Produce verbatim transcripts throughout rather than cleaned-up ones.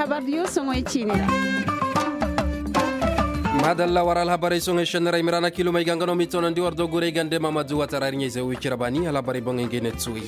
Habar diyo soŋoy ciine ra. Maadalla war alhabarey soŋey šenniray miraana kilomey ga nga no m'i toonandi war do guray gande maamadu watara ir ɲayzey wo i cire baani alhabarey boŋey ngey ne tuwey.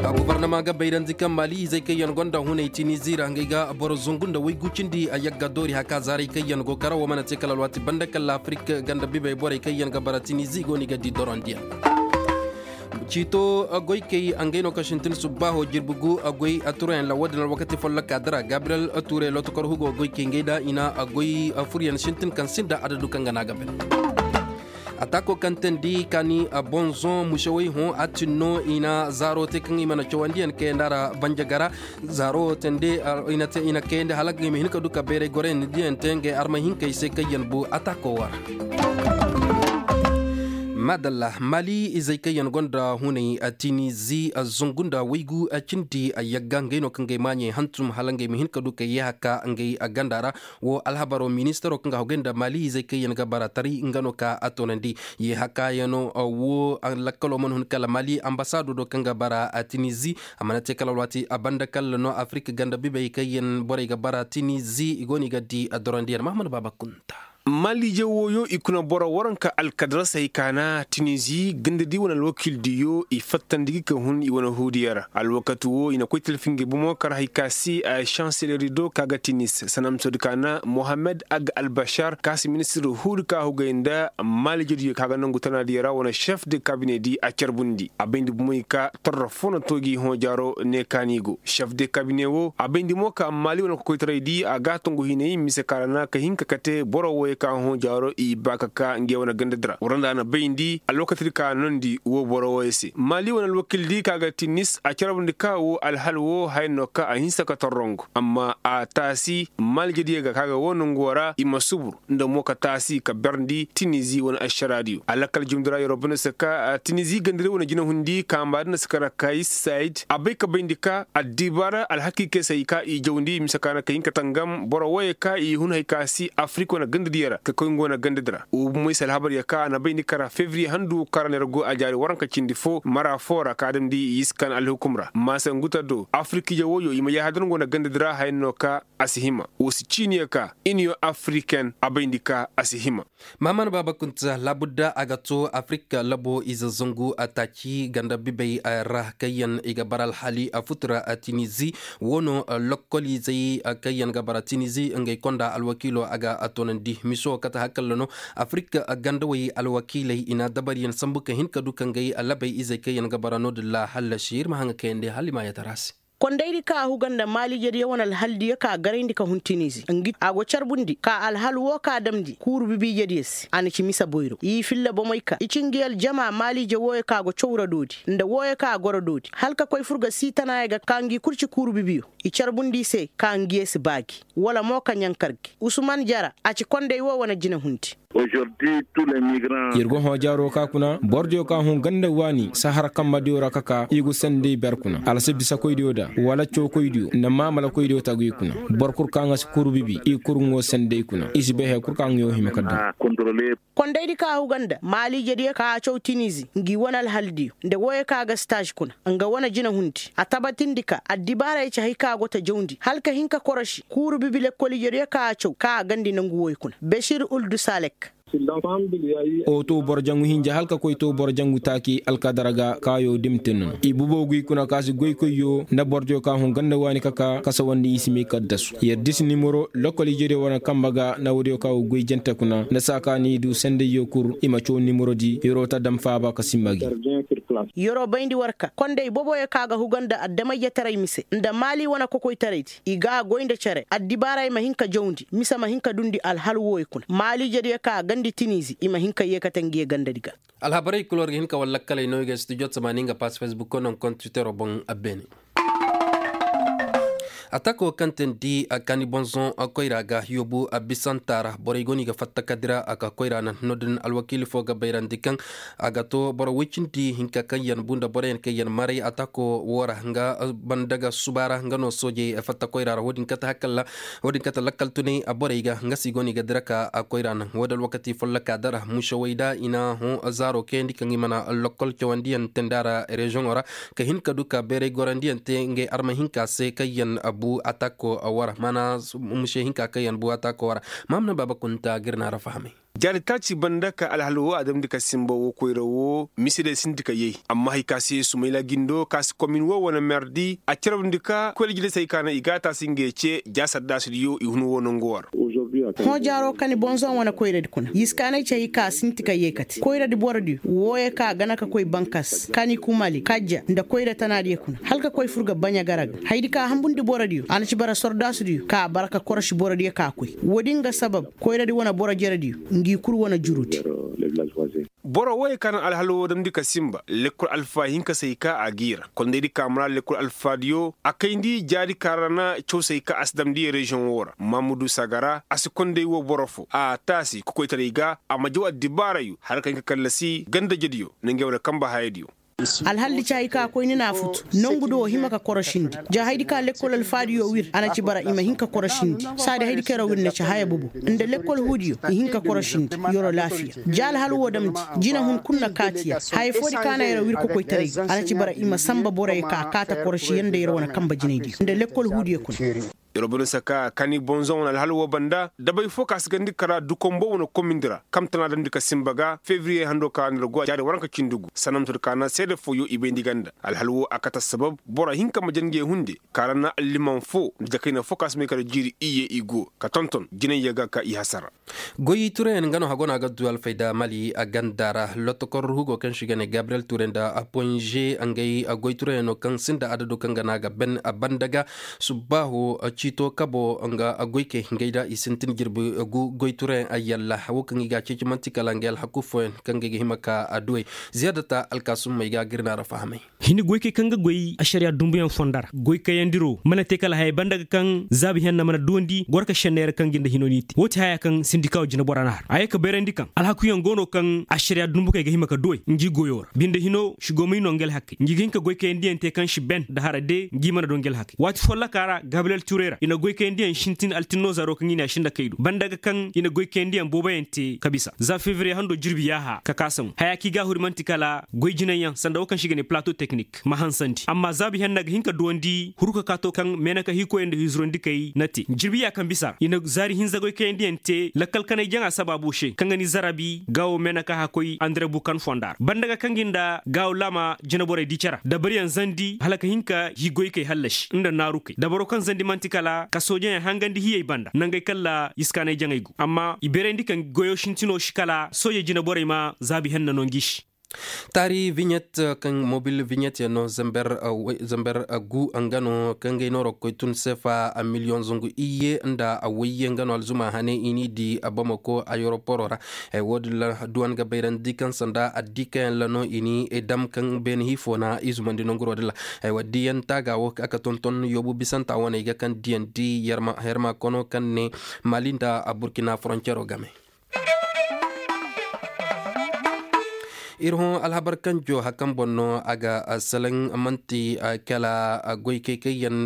Gobornama ga bayrandi kaŋ maali izey kaŋ yaŋ gonda hunay tinizi ra ngey ga boro zungu nda waygu cindi a yagga doori haka zaaray kaŋ yaŋ go kara wo mana te kala alwaati banda kala afirik ganda bibey borey kaŋ yaŋ ga bara tinizi i go no i ga di dorondiyaŋ. Ciito goykey ngey no kaŋ sintin subbaaho jirbi gu goy turoyaŋ ra wo-din alwakati folloka dira gabriyel ture lotokor hugo goykey ngey da i na goy furyaŋ sintin kaŋ sinda adadu kaŋ ga na a ga bay. Atako kaŋ teendi kaani bonzon musewey hõ a tin no i na zaaro te kaŋ i mana cawandiyaŋ kayandi a ra banjagara. Zaaro wo teendi i na kayandi hala ngey ma hin ka du ka bayray goroyaŋ diyaŋ te ngey armay hinkey se kaŋ yaŋ bu atako wo ra. Maadalla maali izey kaŋ yaŋ gonda hunay tinizi zungu nda waygu cindi yagga ngey no kaŋ gay maaɲey hantum hala ngey ma hin ka du ka yee haka ngey ganda ra. Wo alhabaro ministaro kaŋ ga hogay nda maali izey kaŋ yaŋ ga bara taray nga no ka a toonandi. Yee haka yaŋo wo lakkalo mana hun kala maali ambasaado do kaŋ ga bara tinizi. A mana te kala alwaati a banda kala no afirik ganda bibey kaŋ yaŋ borey ga bara tinizi i go no i ga di a dorondiyaŋ mahamad baaba kunta. Maaliije wooyo i kuna boro waranka alkadarasey kaana tinizi gandadi wane alwakiildiyo i fattandi gi ka hun i wane huudiyo ra alwakati woo i na koy talfi ngey bomo kar hay ka se a sanseleri do ka ga tinis sanamsodi kaana mohammed ag albashar ka se ministir huudi ka hugay nda maaliijediyo ka ga nangu tanaadiyo ra wane šef de kabinedi a carbundi a bayndi bomey ka torro fo na tooji hõ jaaro ne kaani go šef de kabine woo a bayndi mo ka maali wane kokoytaray di a ga a tongu hinay mise ka ra na ka hin ka kate boro wooyo ka hõ jaaro i ba ka ka ngey wane ganda di ra war nda a na bayndi alwakati di ka a nondi woo boro wooyo se maali wane alwakiil di ka ga ti nis a carbundi ka woo alhal woo haya no ka a hinsa ka torrongu amma a taasi maaliijediyo ga ka ga woo nongu woo ra i ma subur nda mo ka taasi ka berndi tinizi wane ašaraadiyo a lakkal jumdi ra yeroo bane se ka tinizi gandadi wane jinahundi kaamba di na si kara kay sayid a bay ka bayndi ka addibaara alhakiikey se hay ka i jawndi mise ka na ka hin ka tangam boro wooyey ka i hun hay ka si afirik wane gandadiyo ra ka koy nga wane gandadi ra woo bomey se alhabaryo ka a na bayndi kara febriye handu ka ra neera go a jaari waranka cindi foo mara foo ra ka a damndi i si kan alhukum ra maasa ngu ta do afirik ije wooyo i ma yaaha da nga wane gandadi ra haya no ka a si hima woo si ciiniyo ka iniyo afiriken a bayndi ka a si hima. Mahaman baaba kunta laabudda a ga too afirik labo ize zangu a taaci ganda bibey ra kaŋ yaŋ i ga bara alhali a futura tinizi woo no lokkoliizey kaŋ yaŋ ga bara tinizi ngey konda alwakiilo a ga a toonandi miso kate hakalla no afirik gandawey alwakiiley i na dabariyaŋ sambu ka hin ka du ka ngey labey izey kaŋ yaŋ ga bara no-din ra hallasi ir ma haŋa kayandi hala i ma yatara se. Kondaydi ka a huga nda maaliijediyo wane alhaldiyo ka a garayndi ka hun tinizi ngi a go carbundi ka alhal woo ka a damndi kuuru bibiijediyo se a na ci mise boyro i filla bomey ka i ci ngi aljama maaliije wooyo ka a go caw ra doodi nda wooyo ka a goro doodi hala ka koy fur ga siitanaayo ga ka ngi kul ci kuuru bibiyo i carbundi i se ka ngiyo si baagi wala mo ka ɲankar gi usman jara a ci konday woo wane jinehundi. Yer go hõ jaaroo ka kuna borodiyo ka hõ ganda waani sahara kammadiyo ra ka ka i go sanday ber kuna alsibisakoydiyo da wala cawkoydiyo nda maamalakoydiyo tagu i kuna boro kul ka nga si kuru bibi i kuru ngo sanday kuna i si bay haya kul ka nga yo hima ka daŋ. Kondaydi ka a huga nda maaliijediyo ka a caw tinizi ngi wane alhaldiyo nda wooyo ka a ga staaž kuna nga wane jinehundi a tabatindi ka addibaarey ci hay ka a go ta jawndi hala ka hin ka koroši kuuru bibi lekkoliijediyo ka a caw ka a gandi nangu wooyo kuna bešir uldu salek. Oto boro jangu hinja hala ka koy to boro jangu taaki alkadara ga kaayo dimtin no i bubo guy kuna ka si goykoyyo nda borodiyo ka hun ganda waani ka ka kasawandi i si may kaddasu yer disi nimero lokol ijediyo wane kamba ga nda woodiyo ka go goy jante kuna nda saa ka ni du sendayyo kul i ma caw nimero di yeroo ta dam faaba ka simba gi. Yeroo bayndi war ka konday boboyo ka ga huga nda addamayjetaray mise nda maali wane kokoytaraydi i ga a goy nda cere addibaarey ma hin ka jawndi mise ma hin ka dundi alhal wooyo kuna maaliijediyo ka a gandi tinizi i ma hin ka yeekate ngiyo gandadi ga. Alhabarey kul war ga hin ka war lakkaley no i ga studio tamaani nga pass facebook ko naŋ kontitero boŋ. Beene. Atako kaŋ teendi a kaani bonzoŋ koyra ga yoobu a bisanta ra borey go no i ga fatta ka dira a ka koyra naŋ no-din alwakiili fo ga bayrandi kaŋ a ga to boro woy cindi hinka kaŋ yaŋ bu nda boroyaŋ kaŋ yaŋ maray atako woo ra nga banda ga suba ra nga no soojey fatta koyra ra wo-din kate lakkal tunay borey ga nga se i go no i ga dira ka koyra naŋ wo-din alwakati folloka dara musewey da i na hõ zaaro kayandi kaŋ i mana lokkol cawandiyaŋ teendi a ra reziyoŋo ra ka hin ka du ka bayray gorandiyaŋ te ngey arma hinka se kaŋ yaŋ. Bu atako wara mana, muse hinka kaŋ yaŋ bu atako wara. Maamuna baaba kunta ga ir naara fahamay. Jaari taaci banda ka alhal wo a damndi ka simba wo koyra wo mise day sinti ka yay. Amma hari ka se sumayla gindo ka si komin wo wane merdi a carabndi ka koyra jine se hari ka naŋ i ga a taasi ngey ce ja saddaasidiyo i hun wo nangu wo ra. Hõ jaaro ka ni bonzoŋ wane koyradi kuna yiskaanay ce hari ka sinti ka yay kate koyradi borodiyo wooyo ka gana ka koy bankas ka ni kumali kajja nda koyra tanaadiyo kuna hala ka koy fur ga baɲa gara ga hayadi ka hambundi borodiyo a na ci bara sordaasudiyo ka bara ka korosi borodiyo ka koy. Woodin ga sabab koyradi wane boro jerediyo ngi kul wane jurudi. Boro wooyo ka naŋ alhal woo damndi ka simba lekkol alfa hinka se hay ka a g'i ra kondaydi ka mara lekkol alfaadiyo a kayndi jaadi ka ra na caw se hay ka a si damndi reziyoŋ woo ra mamudu sagara a si konday woo boro foo a taasi kokoytaray ga a ma jaw addibaarayo hala ka hin ka kallasi gandajediyo nda ngey wane kanba hayadiyo. Alhaldi caayi ka koy ni na a futu nongu do hima ka korosindi ja haydi ka lekkol alfaadiyo wir a na ci bara i ma hin ka korosindi saadi haydi ka yaraw wir na ci haya bobo nda lekkol huudiyo i hin ka korosindi yoro laafiya. Ja alhal woo damndi jina hun kul na kaatiya haya foodi ka na yaraw wir kokoytaray ga a na ci bara i ma sanba borey ka kaata korosiyaŋ nda yar wane kanba jinaydiyo nda lekkol huudiyo kuna. Yer wo boro saka kani bonzoŋ wane alhal woo banda dabay foo ka si gandi kara dukombo wane komindi ra kaŋ tana damndi ka sinba ga febriye hando ka ra nda ra go a jaari waranka cindi gu sanamtod ka na seede fooyo i bayndi ganda alhal woo a kate assabab boro hinka ma jangey hunde ka ra na alliman foo nda jakayna foo ka si may kala jiiri iyye i go ka tonton jinayya ga ka i hasara. Goy tureyaŋ nga no hago no a ga du alfayda mali a ganda ra lotokor hugo kaŋ se i ga ne gabriyel ture nda ponze ngey goy tureyaŋ no kaŋ sinda adado kaŋ ga no a ga ben a banda ga. Subbaaho ciito kabo nga goykey ngey da i sintin jirbi gu goy tureyaŋ a yalla wo kaŋ i ga a ceeci man'ti kala ngey alhaku fooyaŋ kaŋ ngey ga hima ka a duwey. Ziyaadata alkaasumma i ga a ga ir naara fahamay. Hini goykey kaŋ ga goy ašariya dumbuyaŋ fonda ra goykayandiro mana te kala haya banda ga kaŋ zaabi henna mana duwandi gorka šenney ra kaŋ ga nda hino n'i te woo ti haya kaŋ sindikaawo jinebora na har a ye ka bayrandi kaŋ alhakuyaŋ go no kaŋ ašariya dumbukey ga hima ka duwey ngi goyo ra binde hino si go may no ngi alhakey ngi ga hin ka goykayandiyaŋ te kaŋ si ben nda hara de ngi mana do ngi alhakey waati folloka ra gabriyel turey ra i na goykayandiyaŋ sintin altinno zaro kaŋ i ne a sinda kay do banda ga kaŋ i na goykayandiyaŋ booboyaŋ te ka bisa za febriye hando jirbi yaaha ka kaa samu haya kaŋ i ga a huri man'ti kala goy jinayyaŋ sanda wo kaŋ se i ga ne plato teknik ma hansandi amma zaabi henna ga hin ka duwandi huru ka kaato kaŋ meenaka hiikoyey nda hizurandikey na te jirbi ya kaŋ bisa ra i na zaari hinza goy kayandiyaŋ te lakkal kanay jaŋa sabaabu se kaŋ ga ni zarabi gaawo meenaka hakkoy andire bukan fonda ra banda ga kaŋ gi nda gaawo laama jineborey di care dabariyaŋ zandi hala ka hin ka hi goykey hallasi nda naarukey dabaro kaŋ zandi man'ti kala ka soojeyaŋ hangandi hiyey banda nangey kalla iskaanay jaŋay go amma i bayrandi kaŋ goyo sintino si kala sooje jineborey ma zaabi henna no ngi se. Taari viɲet kaŋ mobil viɲet yaŋ no zamber gu nga no kaŋ gay nooro koy tun seefa miliyoŋ zangu iyye nda wayye nga no alzuma hane i n'i di bamako ayeroporo ra. Wo- din ra duwan ga bayrandi kaŋ sanda addiikayaŋ ra no i n'i dam kaŋ beene hiifo na i zumandi nanguro din ra. Aywa diyaŋ taaga wo a ka tonton yoobu bisanta wane i ga kaŋ diyaŋ di yarma kono kaŋ ne mali nda burkina foroncero game. Ir hõ alhabar kanjo hakaŋ boŋ no a ga salaŋ man'ti kala goykey kaŋ yaŋ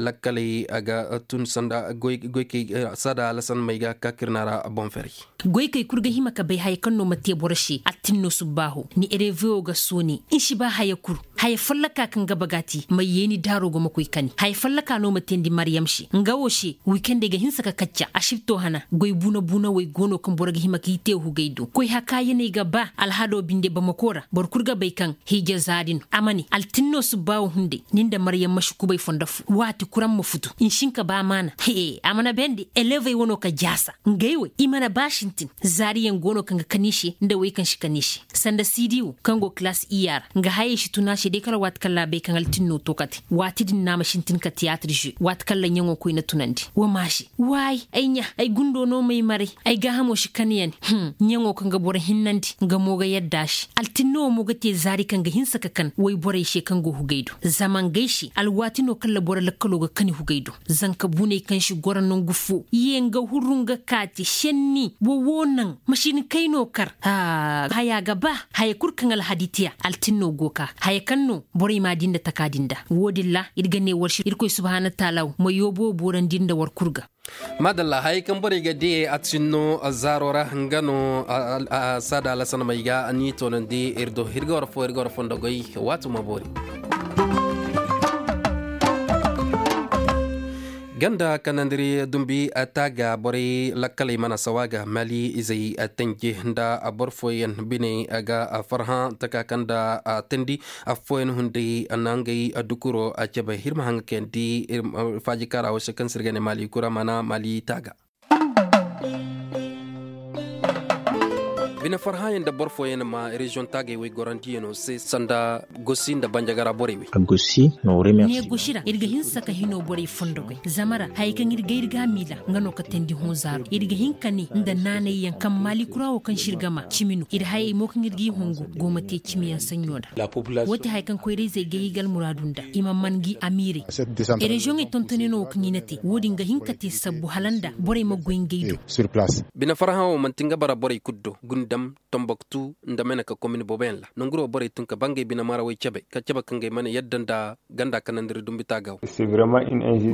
lakkaley a ga tun sanda goykey saada lasan may ga ka kir na ra boŋ ferey. Goykey kul ga hima ka bay haya kaŋ no ma te boro se attin no subbaaho ni erevewo ga soone ni si ba haya kul. Haya folloka kaŋ ga baga ti ma yeeni daaro go ma koy kani haya folloka no ma teendi maryam se nga wo se wikendey ga hinsa ka kacca asibto hana goy buuna buuna wey go no kaŋ boro ga hima ka i te hugay do koy hakaayaney ga ba alhado binde bamako ra boro kul ga bay kaŋ hiija zaari no a ma ne altinno subbaawo hunday ni nda maryam ma si kubay fondo fo waati kul araŋ ma futu nsinka ba maana hee a mana beendi elevey wano ka jaasa ngey wey i mana ba sintin zaariyaŋ go no kaŋ ga kani se nda wey kaŋ si kani se sanda siidi wo kaŋ go kilaas iyya ra nga hayey si tun a se day kala waati kaŋ ra a bay kaŋ altinno to kate waati din no a ma sintin ka tiyaatir ze waati kaŋ ra ɲaŋo koyna tunandi wa ma se waay ay ɲa ay gundo no m'ay maray ay gaahamo si kani yaŋ ɲaŋo kaŋ ga boro hinnandi nga mo ga yadda a se altinno wo mo ga te zaari kaŋ ga hinsa ka kan woyborey se kaŋ go hugay do zama ngey se alwaati no kaŋ ra boro lakkalo ga kani hugay do zanka buney kaŋ si goro nangu fo ye nga huru nga kaati senni wo wo naŋ masiinkey no kar haya ga ba haya kul kaŋ alhadi tiya altinno go ka haya kaŋ no borey m'a di nda taka din da wo- din ra ir ga ne war se irkoy subhaana taala wo ma yoobo boorandi nda war kul ga. Maadalla hayey kaŋ borey ga diyey a ti sinno zaaro ra nga no saada lasanamey ga ni toonandi ir do ir ga war fo ir ga war fondo goy waati ma boori. Ganda kanandiri dumbi taaga borey lakkaley mana sawa ga mali izey tanje nda boro fooyaŋ biney ga farhã taka kaŋ nda tandi affooyaŋ hunday na ngey dukuro cebe hirma haŋ ga kayandi. Faaji kaara wo se kaŋ se ir ga ne mali kura mana mali taaga. Bine farhãyaŋ nda boro fooyaŋ ma reziyoŋ taagey wey gorandiyaŋo se sanda gosi nda banjagara borey wey. Ne gosi ra ir ga hinsa ka hino borey fondogey zama ra hayey kaŋ ir ga ir ga a miila nga no ka teendi hõ zaaro ir ga hin ka ne nda naanayyaŋ kaŋ maali kura wo kaŋ se ir ga ma cimi no ir hayey mo kaŋ ir g'i hungu go ma te cimiyaŋ saɲɲo nda. Woo ti haya kaŋ koyra-izey gay i ga almuraadu nda i ma man ngi amiirey. Reziyoŋey tontonyaŋo wo kaŋ i na te wo-din ga hin ka te sabbu hala nda borey ma goy ngey do. Bine farhã wo man'ti nga bara borey kul do gundam, tomboktu nda meneka komin booboyaŋ ra nanguro borey tun ka ba ngey bine marawey cebe ka cebe ka ngey mana yadda nda ganda kanandiri dumbi taaga wo.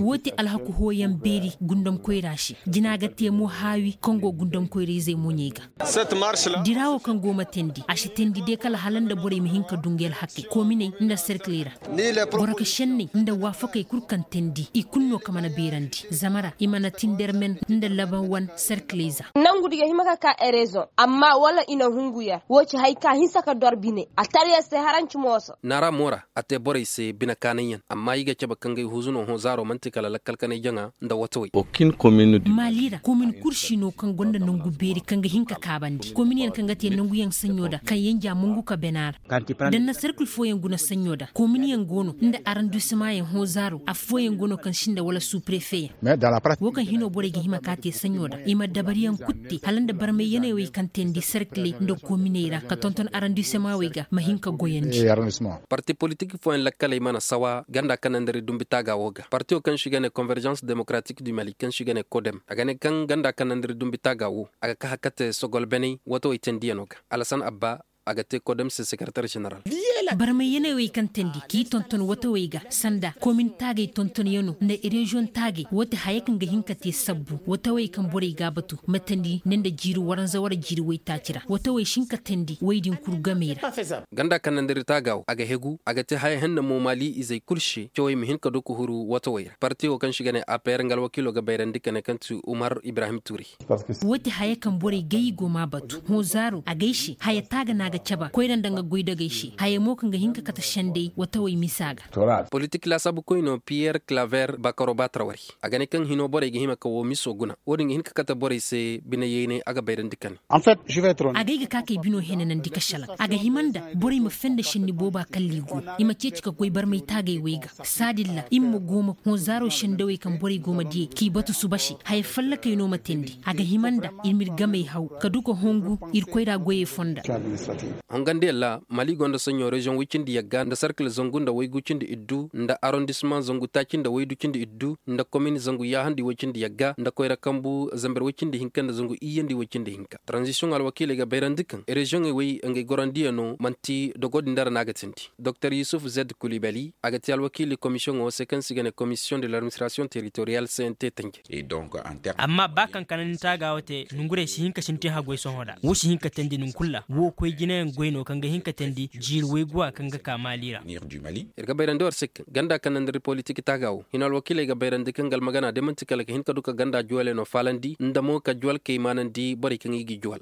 Woo ti alhaku hooyaŋ beeri gundam koyra se jina ga te mo haawi kaŋ go gundam koyra-izey moɲey ga. Dira wo kaŋ go ma teendi a si teendi de kala hala nda borey ma hin ka du ngey alhakey koominey nda serkiley ra. Boro ka senney nda waafakey kul kaŋ teendi i kul no ka mana beerandi zama ra i mana tindermen nda laban wan serkiley za. Nangu di ga hima ka ka erezoŋ amma wala i na hungu yer woo ci haya ka hinsa ka dor bine a tar yer se haranci mooso. Naara mo ra a te borey se bine kaanayyaŋ amma i ga cabe ka ngey huuzu no hõ zaaro man'ti kala lakkal kanay jaŋa nda watawey. Maali ra komin kul si no kaŋ gonda nangu beeri kaŋ ga hin ka kaabandi kominyaŋ kaŋ ga te nanguyaŋ saɲɲo nda kaŋ yanja mongu ka bena ra. Da na serkil fooyaŋ guna saɲɲo nda kominyaŋ go no nda arandisimayaŋ hõ zaaro affooyaŋ go no kaŋ sinda wala suuprefeyaŋ. Woo kaŋ hino borey ga hima ka te saɲɲo nda i ma dabariyaŋ kul te hala nda barmayyaney wey kaŋ teendi serkiley nda kominey ra ka tonton arandisimawey ga ma hin ka goyandi. Parti politik fooyaŋ lakkaley mana sawa ganda kanandari dumbi taaga woo ga partiyo kaŋ se i ga ne konverzans demokratik du mali kaŋ se i ga ne kodem a ga ne kaŋ ganda kanandari dumbi taaga woo a ga kaha kate sogol beney watawey teendiyaŋo ga. Alasan abba a ga te kodem se sekaratar ženeral. Barmayyaney wey kaŋ teendi k'i tonton watawey ga sanda komin taagey tontonyaŋo nda reziyoŋ taagey woo ti haya kaŋ ga hin ka te sabbu watawey kaŋ borey g'a batu ma teendi ne nda jiiri waranza wara jiiri waytaaci ra watawey si hin ka teendi wey din kul gamey ra. Ganda kanandari taaga wo a ga hegu a ga te haya henna mo maali izey kul se cawey ma hin ka du ka huru watawey ra parti wo kaŋ se i ga ne a p r nga alwakiilo ga bayrandi ka ne kaŋ ti umar ibrahim tuuri. Woo ti haya kaŋ borey gay i go m'a batu hõ zaaro agay se haya taaga no a ga caba koyra nda nga goydogey se haya mo kaŋ ga hin ka kate sendey watawey misa ga. Politik laasaabukoyno piyer claver bakaro baatara wari a ga ne kaŋ hino borey ga hima ka woo miso guna woo din ga hin ka kate borey se bine yeynay a ga bayrandi ka ne. Agay ga ka kay bino henanandi ka šelaŋ a ga hima nda borey ma fenda šenni booba kalli go i ma ceeci ka goy barmay taagay way ga saadin ra i ma go ma hõ zaaro sendawey kaŋ borey go ma diyey k'i batu suba se haya fallakey no ma teendi a ga hima nda ir m'ir gamey haw ka du ka hongu ir koyra goyey fonda. Hongandiyaŋ ra mali gonda saɲɲo reziyoŋ woy cindi yagga nda sarkil zangu nda waygu cindi iddu nda arondisimaŋ zangu taaci nda waydu cindi iddu nda komin zangu yaahandi woy cindi yagga nda koyra kambu zamber woy cindi hinka nda zangu iyyandi woy cindi hinka taranzisiyoŋ alwakiiley ga bayrandi kaŋ reziyoŋey woy ngey gorandiyaŋo man'ti dogo din dara no a ga tindi. Doktor yusuf zed kulibali a ga te alwakiili komisiyoŋo se kaŋ se i ga ne komisiyoŋ de ladministirasiyoŋ teritoriyal c n t tanje. Amma ba kaŋ kanandi taaga wo te nongurey si hin ka sintin haggoy sohõ ra wo si hin ka teendi nongu kul ra wo koy jinayaŋ goy no kaŋ ga hin ka teendi jiiri wayguwa kaŋ ga ka maali ra. Ir ga bayrandi war se kaŋ ganda kaŋ nandari politik taaga wo hino alwakiiley ga bayrandi kaŋ ga almagana day man'ti kala ka hin ka du ka ganda juwaley no faalandi nda mo ka juwal kay maanandi borey kaŋ i g'i juwal.